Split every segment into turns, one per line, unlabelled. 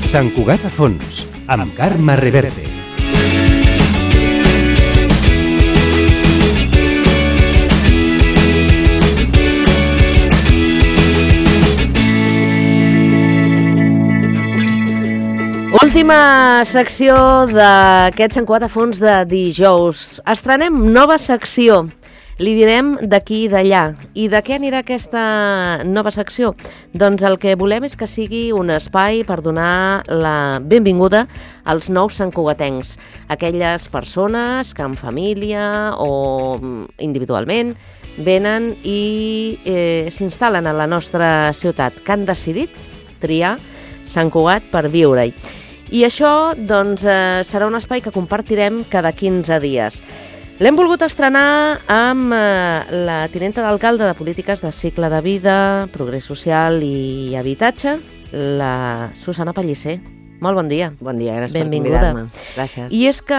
Sant Cugat a fons, amb Carme Reverte.
Última secció d'aquest Sant Cugat a fons de dijous. Estrenem nova secció. Li direm d'aquí i d'allà. I de què anirà aquesta nova secció? Doncs el que volem és que sigui un espai per donar la benvinguda als nous santcugatencs. Aquelles persones que en família o individualment venen i s'instal·len a la nostra ciutat, que han decidit triar Sant Cugat per viure-hi. I això doncs, serà un espai que compartirem cada 15 dies. L'hem volgut estrenar amb la tinenta d'alcalde de Polítiques de Cicle de Vida, Progrés Social i Habitatge, la Susana Pellicer. Molt bon dia.
Bon dia, gràcies
Benvinguda.
per convidar-me. Gràcies.
I és que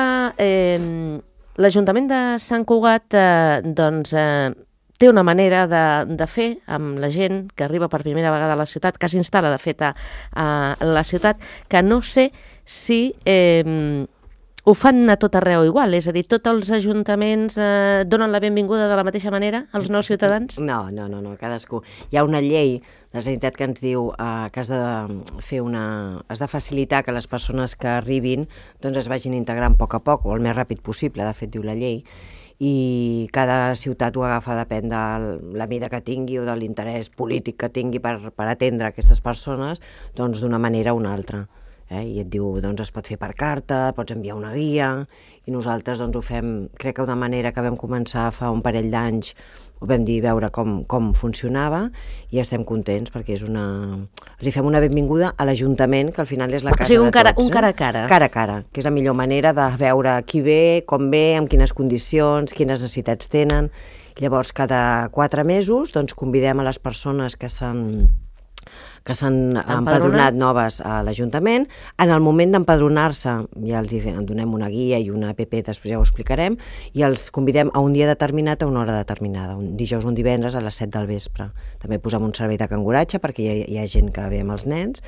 l'Ajuntament de Sant Cugat té una manera de fer amb la gent que arriba per primera vegada a la ciutat, que s'instal·la, de fet, a la ciutat, que no sé si ho fan a tot arreu igual, és a dir, tots els ajuntaments donen la benvinguda de la mateixa manera als nous ciutadans?
No, cadascú. Hi ha una llei de la Generalitat que ens diu que has de facilitar que les persones que arribin doncs es vagin integrant a poc, o el més ràpid possible, de fet diu la llei, i cada ciutat ho agafa, depèn de la mida que tingui o de l'interès polític que tingui per atendre aquestes persones, doncs d'una manera o una altra. I et diu, doncs es pot fer per carta, pots enviar una guia, i nosaltres doncs ho fem, crec que d'una manera que vam començar fa un parell d'anys, ho vam dir, veure com funcionava, i estem contents perquè és els fem una benvinguda a l'Ajuntament, que al final és la casa de tots.
Un cara a cara.
Cara a cara, que és la millor manera de veure qui ve, com ve, amb quines condicions, quines necessitats tenen. Llavors, cada 4 mesos, doncs convidem a les persones que s'han empadronat noves a l'Ajuntament. En el moment d'empadronar-se ja els donem una guia i una app, després ja ho explicarem, i els convidem a un dia determinat, a una hora determinada, un dijous o un divendres a les 7 del vespre. També posem un servei de canguratge perquè hi ha gent que ve amb els nens,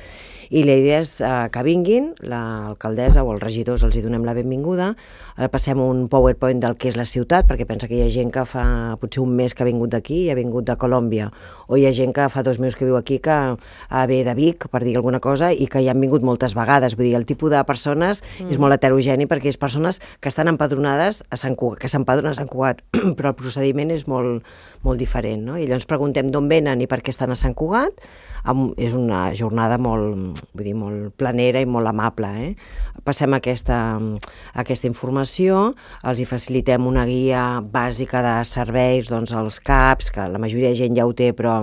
i la idea és que vinguin, l'alcaldessa o els regidors els hi donem la benvinguda, passem un PowerPoint del que és la ciutat, perquè pensa que hi ha gent que fa potser un mes que ha vingut d'aquí i ha vingut de Colòmbia, o hi ha gent que fa 2 mesos que viu aquí que ve de Vic, per dir alguna cosa, i que hi han vingut moltes vegades. Vull dir, el tipus de persones és molt heterogeni, perquè és persones que estan empadronades a Sant Cugat, que s'empadronen a Sant Cugat, però el procediment és molt diferent, no? I llavors preguntem d'on venen i per què estan a Sant Cugat. És una jornada molt planera i molt amable. Passem aquesta informació, els hi facilitem una guia bàsica de serveis, doncs els CAPs, que la majoria de gent ja ho té, però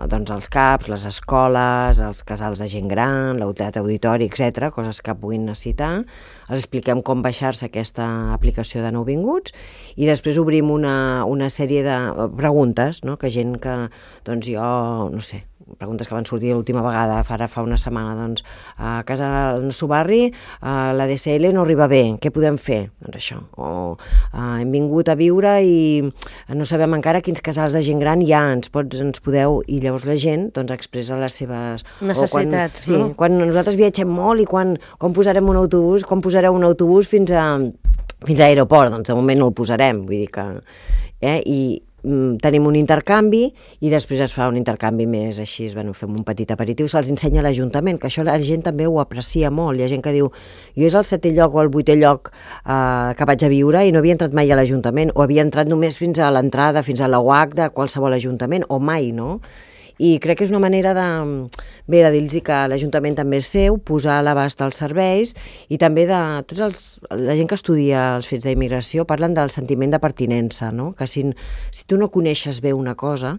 doncs els CAPs, les escoles, els casals de gent gran, l'autoritat auditori, etc., coses que puguin necessitar. Els expliquem com baixar-se aquesta aplicació de nouvinguts, i després obrim una sèrie de preguntes, no? Que gent que, doncs jo, no sé, preguntes que van sortir l'última vegada, ara fa una setmana, doncs a casa del nostre barri la DSL no arriba bé, què podem fer? Doncs això, o hem vingut a viure i no sabem encara quins casals de gent gran hi ha, ens podeu, i llavors la gent doncs expressa les seves
necessitats,
no? Sí, quan nosaltres viatgem molt i quan posarem un autobús, quan posareu un autobús fins a l'aeroport, doncs de moment no el posarem, vull dir que i tenim un intercanvi, i després es fa un intercanvi més així, fem un petit aperitiu, se'ls ensenya a l'Ajuntament, que això la gent també ho aprecia molt. Hi ha gent que diu, jo és el 7è lloc o el 8è lloc que vaig a viure i no havia entrat mai a l'Ajuntament, o havia entrat només fins a l'entrada, fins a la UAC de qualsevol Ajuntament, o mai, no? I crec que és una manera de dir-los que l'Ajuntament també és seu, posar a l'abast els serveis, i també de la gent que estudia els fets d'immigració parlen del sentiment de pertinença, no? Que si tu no coneixes bé una cosa,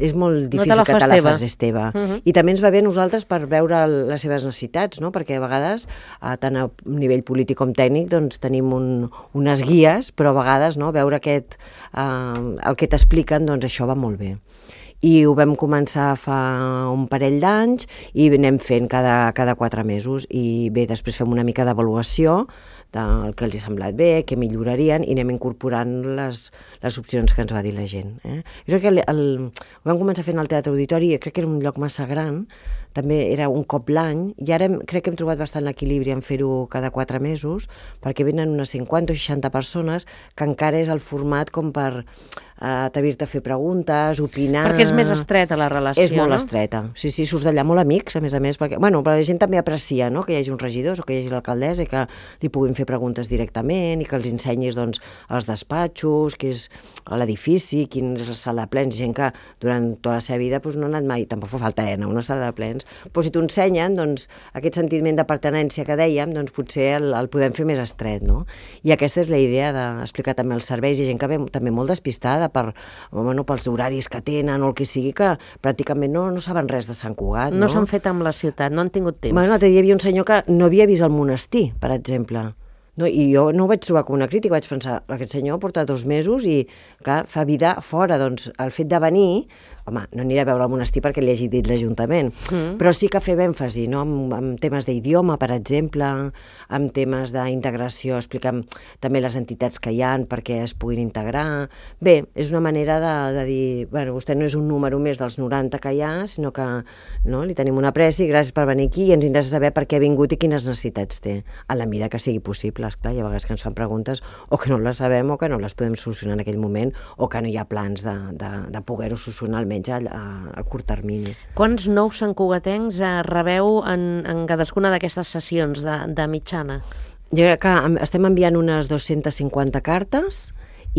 és molt difícil que te la facis teva. I també ens va bé a nosaltres per veure les seves necessitats, no? Perquè a vegades, tant a nivell polític com tècnic, doncs tenim unes guies, però a vegades veure el que t'expliquen, doncs això va molt bé. I ho vam començar fa un parell d'anys i anem fent cada 4 mesos, i bé, després fem una mica d'avaluació del que els ha semblat bé, què millorarien, i anem incorporant les opcions que ens va dir la gent. Jo crec que ho vam començar fent al Teatre Auditori, crec que era un lloc massa gran, també era un cop l'any, i ara crec que hem trobat bastant l'equilibri en fer-ho cada 4 mesos, perquè venen unes 50 o 60 persones, que encara és el format com per atrevir-te a fer preguntes, opinar...
Perquè és més estreta la relació,
És molt
no?
estreta. Sí, surts d'allà molt amics, a més, perquè però la gent també aprecia, no?, que hi hagi uns regidors o que hi hagi l'alcaldessa i que li puguin fer preguntes directament i que els ensenyis, doncs, els despatxos, què és l'edifici, quina és la sala de plens, gent que durant tota la seva vida no ha anat mai, tampoc fa falta anar a una sala de plens, però si t'ho ensenyen, doncs, aquest sentiment de pertinença que dèiem, doncs potser el podem fer més estret, no? I aquesta és la idea d'explicar també els serveis. Hi ha gent que ve també molt despistada pels horaris que tenen o el que sigui, que pràcticament no saben res de Sant Cugat.
No s'han fet amb la ciutat, no han tingut temps.
L'altre dia hi havia un senyor que no havia vist el monestir, per exemple. No, i jo no ho vaig trobar com una crítica, vaig pensar, aquest senyor porta 2 mesos i, clar, fa vida fora. Doncs el fet de venir, home, no aniré a veure el monestir perquè li hagi dit l'Ajuntament, però sí que fem èmfasi, no?, en temes d'idioma, per exemple, en temes d'integració, explicam també les entitats que hi ha perquè es puguin integrar. Bé, és una manera de dir, bueno, vostè no és un número més dels 90 que hi ha, sinó que li tenim una apreci, gràcies per venir aquí, i ens interessa saber per què ha vingut i quines necessitats té, a la mida que sigui possible. Esclar, hi ha vegades que ens fan preguntes o que no les sabem o que no les podem solucionar en aquell moment o que no hi ha plans de poder-ho solucionar almenys a curt termini.
Quants nous santcugatencs rebeu en cadascuna d'aquestes sessions de mitjana?
Jo crec que estem enviant unes 250 cartes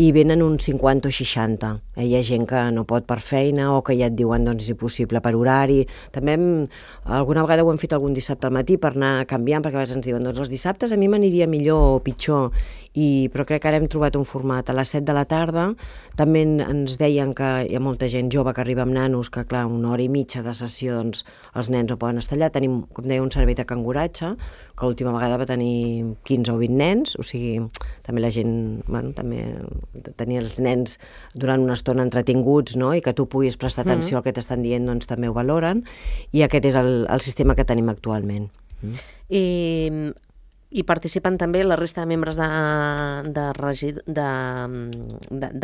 i venen uns 50 o 60. Hi ha gent que no pot per feina o que ja et diuen doncs és impossible per horari. També alguna vegada ho hem fet algun dissabte al matí per anar canviant, perquè a vegades ens diuen doncs els dissabtes a mi m'aniria millor o pitjor, però crec que ara hem trobat un format a les 7 de la tarda. També ens deien que hi ha molta gent jove que arriba amb nanos, que clar, 1 hora i mitja de sessió, doncs els nens no poden estar allà. Tenim, com deia, un servei de canguratge, que l'última vegada va tenir 15 o 20 nens, o sigui, també la gent, també tenir els nens durant una estona entretinguts, no?, i que tu puguis prestar atenció al que t'estan dient, doncs també ho valoren, i aquest és el sistema que tenim actualment.
I participen també la resta de membres de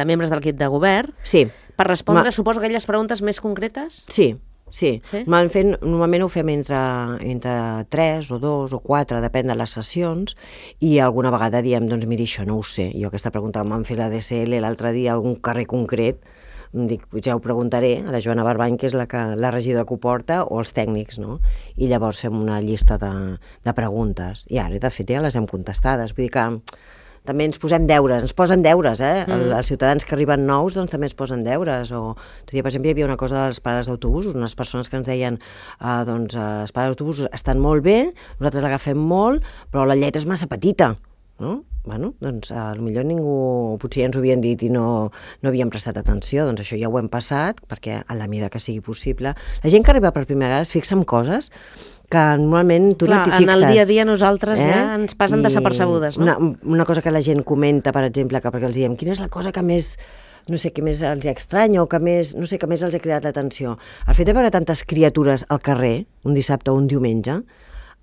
membres de l'equip de govern?
Sí.
Per respondre, suposo, aquelles preguntes més concretes?
Sí. Normalment ho fem entre 3 o 2 o 4, depèn de les sessions, i alguna vegada diem, doncs miri, això no ho sé. Jo aquesta pregunta em van fer la DSL l'altre dia a un carrer concret, dic, ja ho preguntaré a la Joana Barbany, que és la regidora que ho porta, o els tècnics, no? I llavors fem una llista de preguntes, i ara, de fet, ja les hem contestades. Vull dir que també ens posen deures, Els ciutadans que arriben nous doncs també ens posen deures. Per exemple, hi havia una cosa dels pares d'autobusos, unes persones que ens deien doncs els pares d'autobusos estan molt bé, nosaltres l'agafem molt, però la lletra és massa petita, no? Bueno, doncs potser ningú, potser ja ens ho havien dit i no havíem prestat atenció, doncs això ja ho hem passat, perquè a la mida que sigui possible. La gent que arriba per primera vegada es fixa en coses que normalment tu no t'hi fixes.
En el dia a dia nosaltres ja ens passen desapercebudes, no?
Una cosa que la gent comenta, per exemple, perquè els diem, quina és la cosa que més, no sé, que més els estranya o que més, no sé, que més els ha cridat l'atenció? El fet de veure tantes criatures al carrer, un dissabte o un diumenge,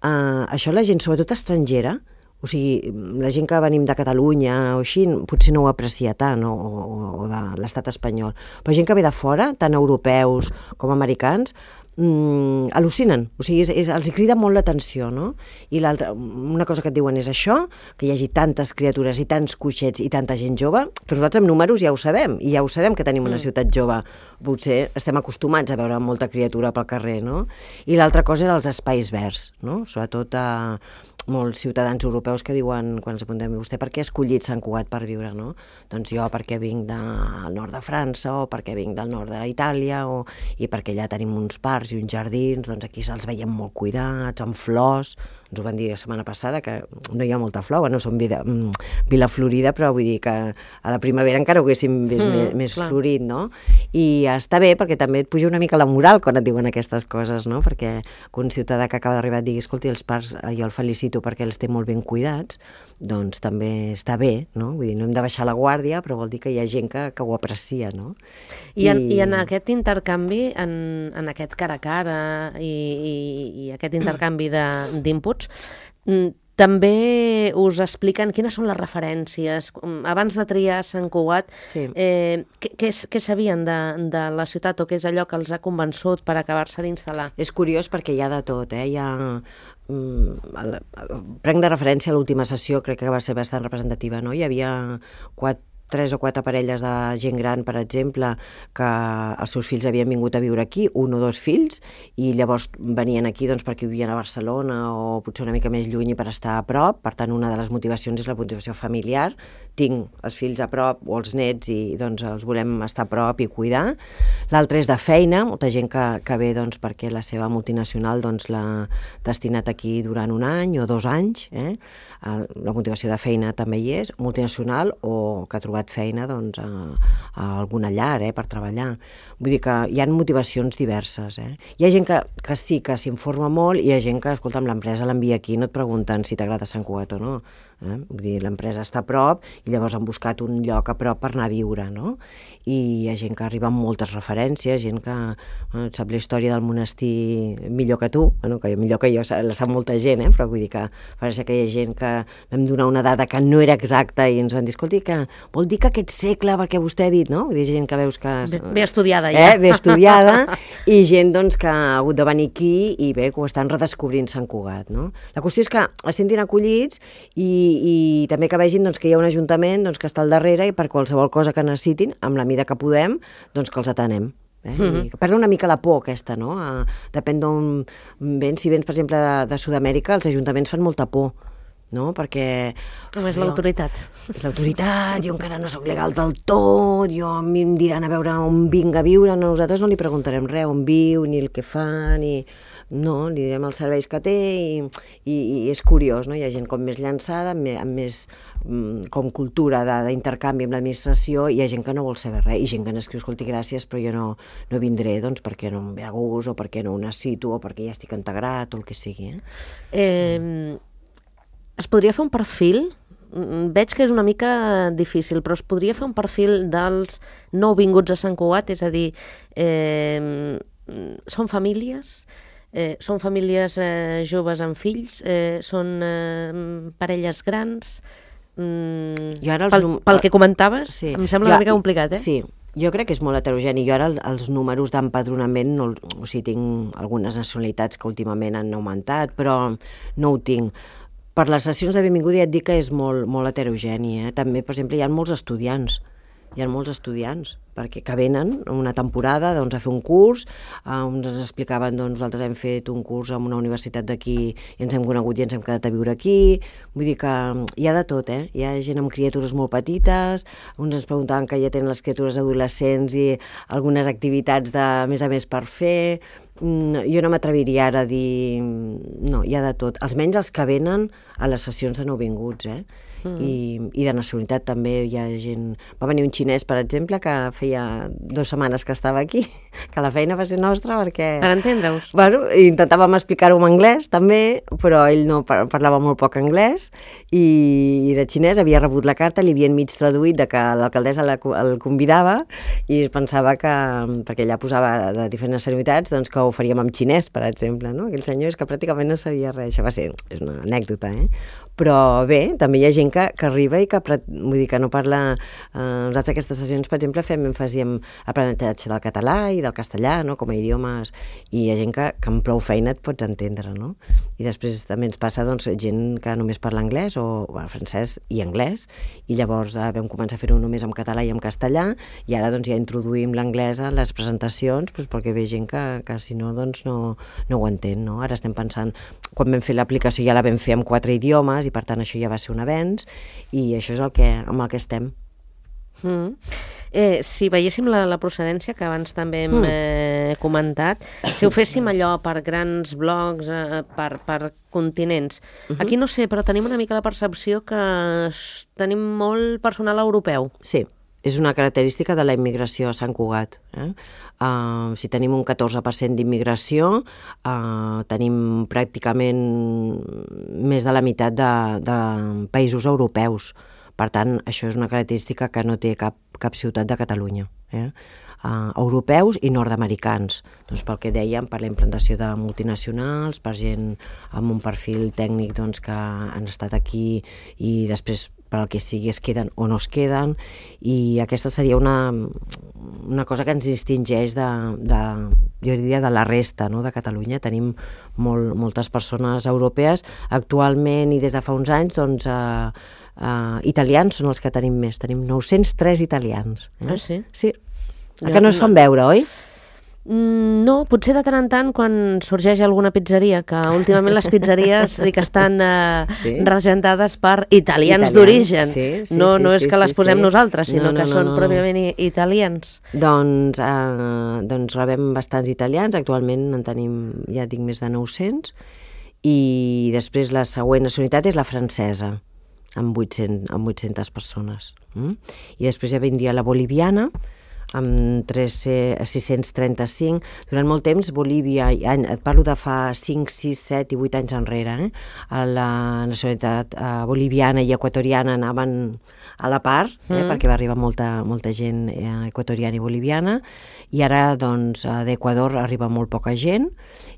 això la gent, sobretot estrangera, o sigui, la gent que venim de Catalunya o així, potser no ho aprecia tant, o de l'estat espanyol, però gent que ve de fora, tant europeus com americans, al·lucinen, o sigui, els crida molt l'atenció, no? I l'altra, una cosa que et diuen és això, que hi hagi tantes criatures i tants coixets i tanta gent jove, que nosaltres amb números ja ho sabem, i ja ho sabem que tenim una ciutat jove, potser estem acostumats a veure molta criatura pel carrer, no? I l'altra cosa és els espais verds, no? Sobretot molts ciutadans europeus que diuen, quan ens apuntem, vostè per què ha escollit Sant Cugat per viure, no? Doncs jo perquè vinc del nord de França, o perquè vinc del nord d'Itàlia, i perquè allà tenim uns parcs i uns jardins, doncs aquí se'ls veiem molt cuidats, amb flors. Ens ho van dir la setmana passada, que no hi ha molta flor, bueno, som Vila Florida, però vull dir que a la primavera encara ho haguéssim vist més florit, no? I està bé, perquè també et puja una mica la moral quan et diuen aquestes coses, no? Perquè un ciutadà que acaba d'arribar et digui, escolti, els parcs jo el felicito perquè els té molt ben cuidats, doncs també està bé, no? Vull dir, no hem de baixar la guàrdia, però vol dir que hi ha gent que ho aprecia, no?
I en aquest intercanvi, en aquest cara a cara i aquest intercanvi d'inputs, També us expliquen quines són les referències. Abans de triar Sant Cugat,
Sí.
què sabien de la ciutat o què és allò que els ha convençut per acabar-se d'instal·lar?
És curiós perquè hi ha de tot, hi ha... Prenc de referència a l'última sessió, crec que va ser bastant representativa, no? Hi havia 3 o 4 parelles de gent gran, per exemple, que els seus fills havien vingut a viure aquí, 1 o 2 fills, i llavors venien aquí doncs, perquè vivien a Barcelona o potser una mica més lluny i per estar a prop. Per tant, una de les motivacions és la motivació familiar. Tinc els fills a prop o els nets i doncs, els volem estar a prop i cuidar. L'altre és de feina, molta gent que ve doncs, perquè la seva multinacional doncs, l'ha destinat aquí durant 1 any o 2 anys. La motivació de feina també hi és, multinacional o que ha trobat feina doncs, a alguna llar per treballar. Vull dir que hi ha motivacions diverses. Hi ha gent que sí que s'informa molt i hi ha gent que, escolta, l'empresa l'envia aquí, no et pregunten si t'agrada Sant Cugat o no. Vull dir, l'empresa està a prop i llavors han buscat un lloc a prop per anar a viure, no? I hi ha gent que arriba amb moltes referències, gent que sap la història del monestir millor que tu, que millor que jo la sap molta gent, però vull dir que pareix que hi ha gent que vam donar una dada que no era exacta i ens van dir, escolti, que vol dir que aquest segle, perquè vostè ha dit, no? Vull dir, gent que veus que...
Bé estudiada, ja.
Bé estudiada, i gent doncs, que ha hagut de venir aquí i bé, que ho estan redescobrint Sant Cugat, no? La qüestió és que es sentin acollits i també que vegin doncs, que hi ha un ajuntament doncs, que està al darrere i per qualsevol cosa que necessitin, amb la mida que podem, doncs que els atenem. I perdre una mica la por aquesta, no? Depèn d'on vens. Si vens, per exemple, de Sud-amèrica, els ajuntaments fan molta por, no? Perquè...
Només l'autoritat.
És l'autoritat, jo encara no sóc legal del tot, a mi em diran a veure on vinc a viure, nosaltres no li preguntarem res, on viu, ni el que fa, ni... No, li direm els serveis que té i és curiós, no? Hi ha gent com més llançada, amb més com cultura d'intercanvi amb l'administració, i hi ha gent que no vol saber res, i gent que n'escriu, escolti, gràcies, però jo no vindré, doncs, perquè no em ve a gust, o perquè no ho necessito, o perquè ja estic integrat, o el que sigui.
Es podria fer un perfil? Veig que és una mica difícil, però es podria fer un perfil dels nouvinguts a Sant Cugat, és a dir, són famílies... són famílies joves amb fills, són parelles grans... Pel que comentaves, sí. Em sembla una mica complicat,
Sí, jo crec que és molt heterogeni. Jo ara els números d'empadronament, o sigui, tinc algunes nacionalitats que últimament han augmentat, però no ho tinc. Per les sessions de benvinguda ja et dic que és molt, molt heterogeni. També, per exemple, hi ha molts estudiants. Perquè que venen una temporada doncs, a fer un curs, ens explicaven, doncs, nosaltres hem fet un curs en una universitat d'aquí i ens hem conegut i ens hem quedat a viure aquí. Vull dir que hi ha de tot, Hi ha gent amb criatures molt petites, uns ens preguntaven que ja tenen les criatures adolescents i algunes activitats de més a més per fer. Jo no m'atreviria ara a dir... No, hi ha de tot. Almenys els que venen a les sessions de nouvinguts, I de nacionalitat també hi ha gent... Va venir un xinès, per exemple, que feia 2 setmanes que estava aquí, que la feina va ser nostra perquè...
Per entendre-us.
Bueno, intentàvem explicar-ho en anglès també, però ell no parlava molt poc anglès i era xinès, havia rebut la carta, li havien mig traduït de que l'alcaldessa el convidava i pensava que, perquè ella posava de diferents nacionalitats, doncs que ho faríem en xinès, per exemple, no? Aquell senyor és que pràcticament no sabia res, això va ser, és una anècdota, Però bé, també hi ha gent que arriba i que, vull dir, que no parla... Nosaltres aquestes sessions, per exemple, fem èmfasi en aprenentatge del català i del castellà, no?, com a idiomes, i hi ha gent que amb prou feina et pots entendre, no? I després també ens passa, doncs, gent que només parla anglès o francès i anglès, i llavors vam començar a fer-ho només en català i en castellà, i ara doncs ja introduïm l'anglès a les presentacions, doncs, perquè ve gent que si no, doncs no ho entén, no? Ara estem pensant, quan vam fer l'aplicació ja la vam fer amb 4 idiomes, i per tant això ja va ser un avenç, i això és amb el que estem.
Si veiéssim la procedència, que abans també hem comentat, si ho féssim allò per grans blocs, per continents, aquí no sé, però tenim una mica la percepció que tenim molt personal europeu.
Sí, és una característica de la immigració a Sant Cugat. Si tenim un 14% d'immigració, tenim pràcticament més de la meitat de països europeus. Per tant, això és una característica que no té cap ciutat de Catalunya. Europeus i nord-americans, doncs pel que dèiem, per la implantació de multinacionals, per gent amb un perfil tècnic doncs, que han estat aquí i després per al que sigui es queden o no es queden, i aquesta seria una cosa que ens distingeix jo diria de la resta, no?, de Catalunya. Tenim moltes persones europees actualment i des de fa uns anys, doncs italians són els que tenim més, tenim 903 italians.
Ah, sí?
Sí. Que no es fan veure, oi?
No, potser de tant en tant quan sorgeix alguna pizzeria, que últimament les pizzeries sí que estan regentades per italians d'origen. No és que les posem nosaltres, sinó que són pròpiament italians.
Doncs rebem bastants italians, actualment en tenim, ja dic, més de 900, i després la següent nacionalitat és la francesa, amb 800 persones. I després ja vindria la boliviana, amb 635. Durant molt temps, Bolívia, et parlo de fa 5, 6, 7 i 8 anys enrere, la nacionalitat boliviana i equatoriana anaven a la part, perquè va arribar molta gent equatoriana i boliviana, i ara doncs d'Equador arriba molt poca gent,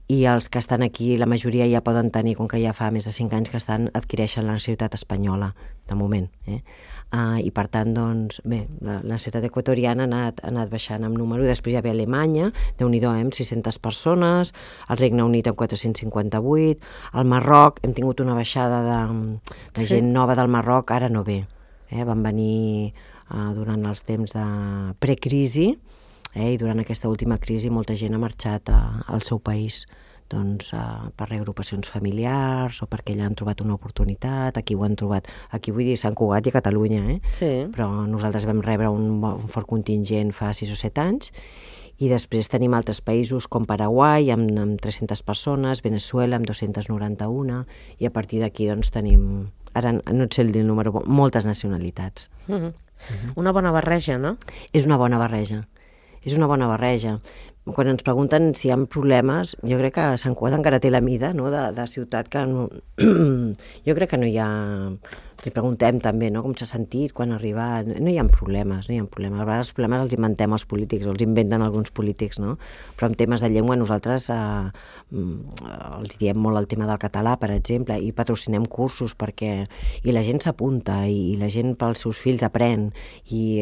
i els que estan aquí, la majoria ja poden tenir, com que ja fa més de 5 anys que adquireixen la nacionalitat espanyola, de moment. I per tant, doncs, bé, la nacionalitat equatoriana ha anat baixant amb número. Després ja ve Alemanya, Déu-n'hi-do, amb 600 persones, el Regne Unit amb 458, al Marroc hem tingut una baixada de gent nova del Marroc, ara no ve. Van venir durant els temps de precrisi, i durant aquesta última crisi molta gent ha marxat al seu país, doncs per reagrupacions familiars o perquè allà han trobat una oportunitat. Aquí ho han trobat, aquí vull dir Sant Cugat i a Catalunya, però nosaltres vam rebre un fort contingent fa 6 o 7 anys, i després tenim altres països com Paraguai amb 300 persones, Venezuela amb 291, i a partir d'aquí doncs tenim, ara no et sé el número, moltes nacionalitats.
Una bona barreja, no?
És una bona barreja. Quan ens pregunten si hi ha problemes, jo crec que Sant Cugat encara té la mida, no?, de ciutat que no... Jo crec que no hi ha... Li preguntem també, no?, com s'ha sentit quan ha arribat. No hi ha problemes. A vegades els problemes els inventem els polítics, o els inventen alguns polítics, no? Però en temes de llengua nosaltres els diem molt el tema del català, per exemple, i patrocinem cursos i la gent s'apunta, i la gent pels seus fills aprèn, i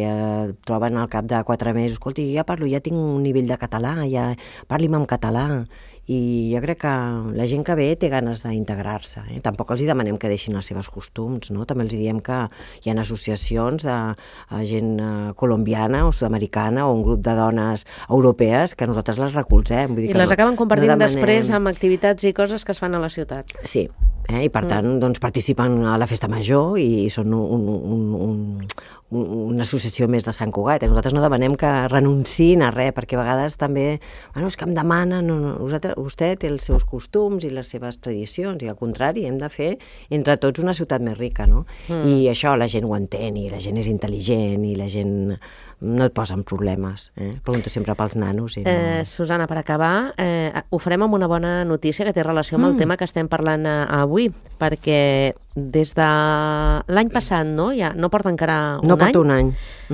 troben al cap de 4 mesos, escolti, ja tinc un nivell de català, ja parli'm en català. I jo crec que la gent que ve té ganes d'integrar-se. Tampoc els demanem que deixin els seus costums, no? També els diem que hi ha associacions de gent colombiana o sud-americana o un grup de dones europees que nosaltres les recolzem.
I les acaben compartint després amb activitats i coses que es fan a la ciutat.
Sí, i per tant doncs, participen a la festa major i són una associació més de Sant Cugat. Nosaltres no demanem que renunciïn a res, perquè a vegades també, és que em demanen, vostè té els seus costums i les seves tradicions, i al contrari, hem de fer entre tots una ciutat més rica, no? I això la gent ho entén, i la gent és intel·ligent, i la gent no et posa en problemes. Pregunto sempre pels nanos.
Susana, per acabar, ho farem amb una bona notícia que té relació amb el tema que estem parlant avui, perquè des de l'any passat, no? Ja no porta encara un any.
No porta un any.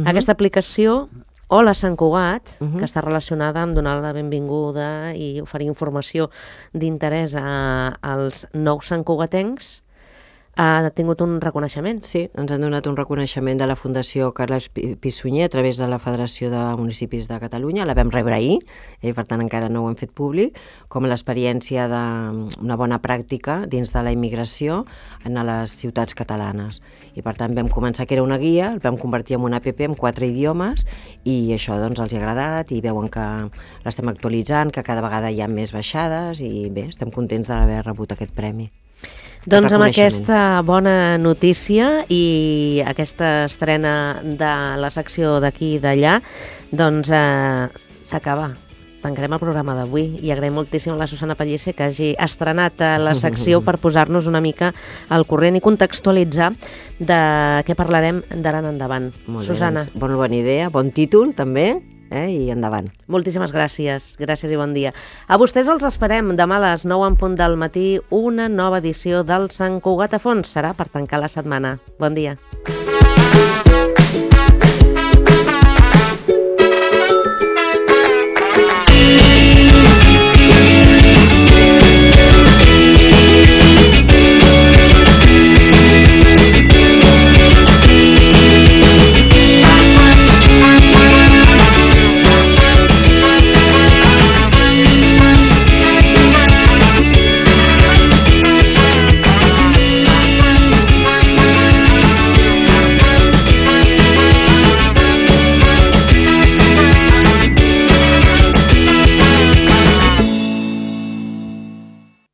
Aquesta aplicació Hola Sant Cugat, que està relacionada amb donar la benvinguda i oferir informació d'interès als nous santcugatencs, ha tingut un reconeixement.
Sí, ens han donat un reconeixement de la Fundació Carles Pi Sunyer a través de la Federació de Municipis de Catalunya. La vam rebre ahir, per tant encara no ho hem fet públic, com l'experiència d'una bona pràctica dins de la immigració a les ciutats catalanes. I per tant vam començar que era una guia, el vam convertir en una app en 4 idiomes, i això doncs els ha agradat, i veuen que l'estem actualitzant, que cada vegada hi ha més baixades, i bé, estem contents d'haver rebut aquest premi.
Doncs amb aquesta bona notícia i aquesta estrena de la secció d'aquí i d'allà, doncs s'acaba. Tancarem el programa d'avui i agraïm moltíssim a la Susana Pellicer que hagi estrenat la secció per posar-nos una mica al corrent i contextualitzar de què parlarem d'ara en endavant. Susana.
Bona idea, bon títol també. I endavant.
Moltíssimes gràcies. Gràcies i bon dia. A vostès els esperem demà a les 9 en punt del matí una nova edició del Sant Cugat a fons. Serà per tancar la setmana. Bon dia.